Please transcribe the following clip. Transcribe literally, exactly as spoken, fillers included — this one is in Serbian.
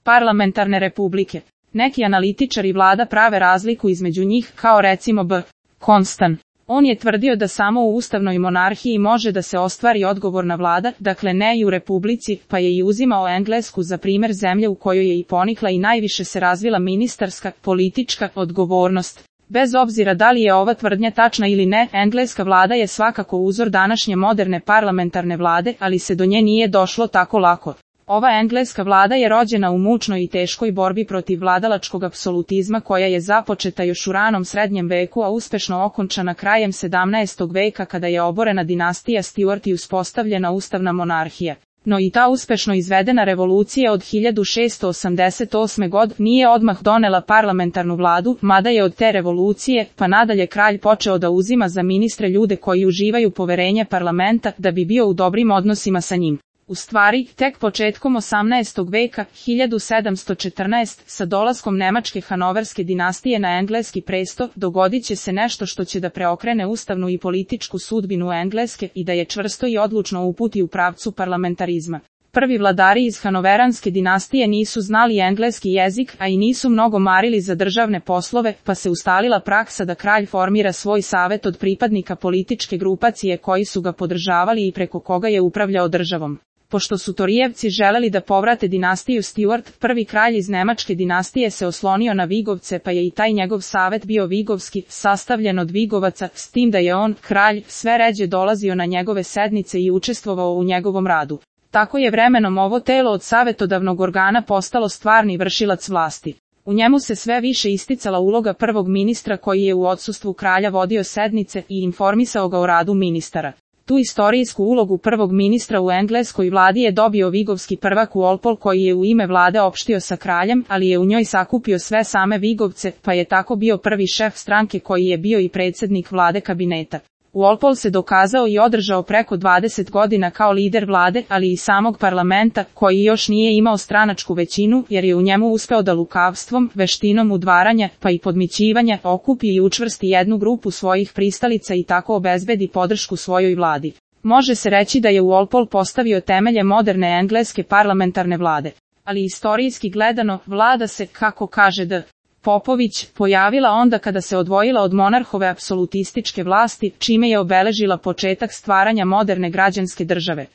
parlamentarne republike. Neki analitičari vlada prave razliku između njih, kao recimo B. Constant. On je tvrdio da samo u ustavnoj monarhiji može da se ostvari odgovorna vlada, dakle ne i u republici, pa je i uzimao Englesku za primer zemlje u kojoj je i ponikla i najviše se razvila ministarska, politička odgovornost. Bez obzira da li je ova tvrdnja tačna ili ne, engleska vlada je svakako uzor današnje moderne parlamentarne vlade, ali se do nje nije došlo tako lako. Ova engleska vlada je rođena u mučnoj i teškoj borbi protiv vladalačkog apsolutizma koja je započeta još u ranom srednjem veku, a uspešno okončana krajem sedamnaestog veka kada je oborena dinastija Stuart i uspostavljena ustavna monarhija. No i ta uspešno izvedena revolucija od hiljadu šessto osamdeset osme. godine nije odmah donela parlamentarnu vladu, mada je od te revolucije pa nadalje kralj počeo da uzima za ministre ljude koji uživaju poverenje parlamenta da bi bio u dobrim odnosima sa njim. U stvari, tek početkom osamnaestog veka, hiljadu sedamsto četrnaeste. sa dolaskom nemačke hanoverske dinastije na engleski presto, dogodit će se nešto što će da preokrene ustavnu i političku sudbinu Engleske i da je čvrsto i odlučno uputi u pravcu parlamentarizma. Prvi vladari iz hanoveranske dinastije nisu znali engleski jezik, a i nisu mnogo marili za državne poslove, pa se ustalila praksa da kralj formira svoj savet od pripadnika političke grupacije koji su ga podržavali i preko koga je upravljao državom. Pošto su Torijevci želeli da povrate dinastiju Stuart, prvi kralj iz nemačke dinastije se oslonio na Vigovce, pa je i taj njegov savet bio vigovski, sastavljen od Vigovaca, s tim da je on, kralj, sve ređe dolazio na njegove sednice i učestvovao u njegovom radu. Tako je vremenom ovo telo od savetodavnog organa postalo stvarni vršilac vlasti. U njemu se sve više isticala uloga prvog ministra koji je u odsustvu kralja vodio sednice i informisao ga o radu ministara. Tu istorijsku ulogu prvog ministra u engleskoj vladi je dobio vigovski prvak Walpole koji je u ime vlade opštio sa kraljem, ali je u njoj sakupio sve same Vigovce, pa je tako bio prvi šef stranke koji je bio i predsjednik vlade kabineta. Walpole se dokazao i održao preko dvadeset godina kao lider vlade, ali i samog parlamenta, koji još nije imao stranačku većinu, jer je u njemu uspeo da lukavstvom, veštinom udvaranja, pa i podmićivanja, okupi i učvrsti jednu grupu svojih pristalica i tako obezbedi podršku svojoj vladi. Može se reći da je Walpole postavio temelje moderne engleske parlamentarne vlade. Ali istorijski gledano, vlada se, kako kaže D. Popović, pojavila onda kada se odvojila od monarhove apsolutističke vlasti, čime je obeležila početak stvaranja moderne građanske države.